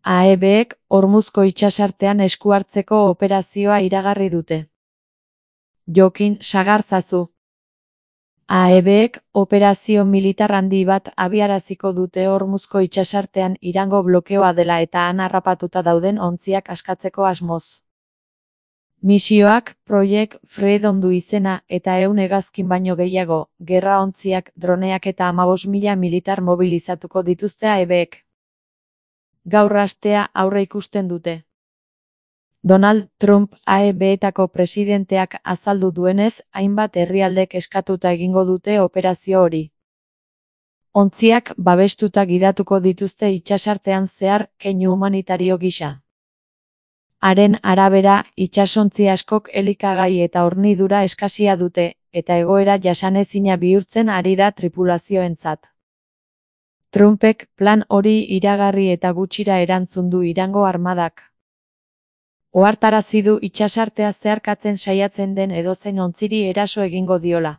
AEBek Hormuzko itsasartean esku hartzeko operazioa iragarri dute. Jokin sagartzazu. AEBek operazio militar handi bat abiaraziko dute Hormuzko itsasartean Irango blokeoa dela eta han harrapatuta dauden ontziak askatzeko asmoz. Misioak Project Freedom du izena eta 100 hegazkin baino gehiago, gerra ontziak, droneak eta 15.000 militar mobilizatuko dituzte AEBek. Gaur astea aurreikusten dute. Donald Trump AEBetako presidenteak azaldu duenez, hainbat herrialdek eskatuta egingo dute operazio hori. Ontziak babestuta gidatuko dituzte itsasartean zehar keinu humanitario gisa. Haren arabera, itsasontzi askok elikagai eta hornidura eskasia dute, eta egoera jasanezina bihurtzen ari da tripulazioentzat. Trumpek plan hori iragarri eta gutxira erantzun du Irango armadak. Ohartarazi du itsasartea zeharkatzen saiatzen den edozein ontziri eraso egingo diola.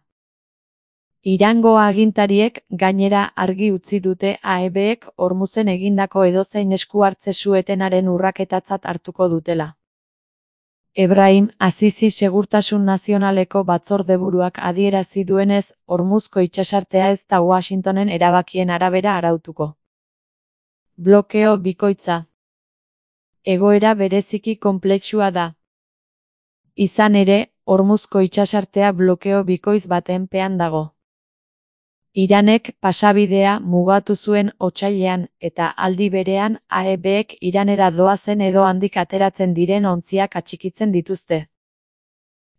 Irango agintariek gainera argi utzi dute AEBek Hormuzen egindako edozein esku hartze su-etenaren urraketatzat hartuko dutela. Ebrahim Azizi Segurtasun Nazionaleko batzordeburuak adierazi duenez, Hormuzko itsasartea ez da Washingtonen erabakien arabera arautuko. Blokeo bikoitza. Egoera bereziki konplexua da. Izan ere, Hormuzko itsasartea blokeo bikoitz baten pean dago. Iranek pasabidea mugatu zuen otsailean eta aldi berean AEBek Iranera doazen edo handik ateratzen diren ontziak atxikitzen dituzte.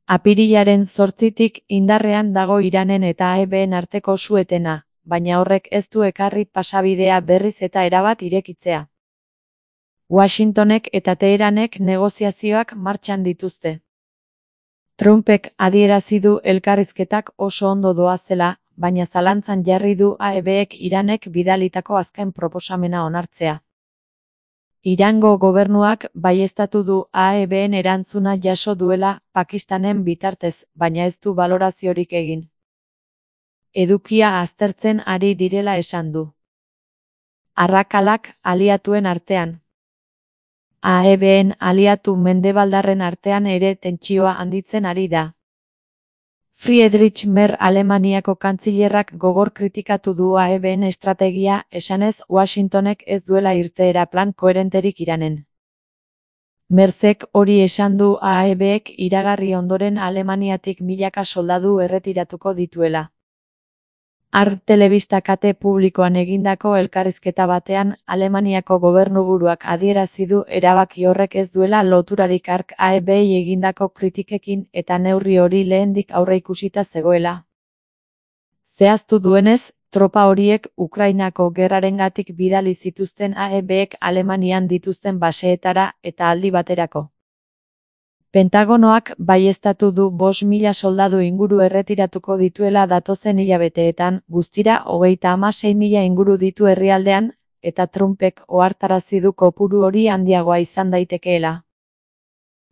Apirilaren 8tik indarrean dago Iranen eta AEBen arteko su-etena, baina horrek ez du ekarri pasabidea berriz eta erabat irekitzea. Washingtonek eta Teheranek negoziazioak martxan dituzte. Trumpek adierazi du elkarrizketak oso ondo doazela, baina zalantzan jarri du AEBek Iranek bidalitako azken proposamena onartzea. Irango gobernuak baieztatu du AEBen erantzuna jaso duela Pakistanen bitartez, baina ez du baloraziorik egin. Edukia aztertzen ari direla esan du. Arrakalak aliatuen artean. AEBen aliatu mendebaldarren artean ere tentsioa handitzen ari da. Friedrich Merz Alemaniako kantzilerrak gogor kritikatu du AEBen estrategia, esanez Washingtonek ez duela irteera plan koherenterik Iranen. Merzek hori esan du AEBek iragarri ondoren Alemaniatik milaka soldadu erretiratuko dituela. Telebista kate publikoan egindako elkarrizketa batean, Alemaniako gobernuburuak adierazi du erabaki horrek ez duela loturarik AEBei egindako kritikekin eta neurri hori lehendik aurreikusita zegoela. Zehaztu duenez, tropa horiek Ukrainako gerrarengatik bidali zituzten AEBek Alemanian dituzten baseetara eta aldi baterako. Pentagonoak baieztatu du 5.000 soldadu inguru erretiratuko dituela datozen hilabeteetan, guztira 36.000 inguru ditu herrialdean, eta Trumpek ohartarazi du kopuru hori handiagoa izan daitekeela.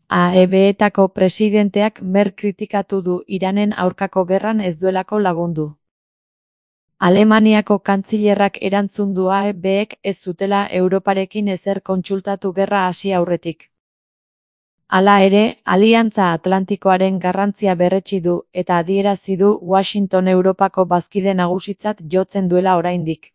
AEBetako presidenteak Merz kritikatu du Iranen aurkako gerran ez duelako lagundu. Alemaniako kantzilerrak erantzun du AEBek ez zutela Europarekin ezer kontsultatu gerra hasi aurretik. Hala ere, Aliantza Atlantikoaren garrantzia berretsi du eta adierazi du Washington Europako bazkide nagusitzat jotzen duela oraindik.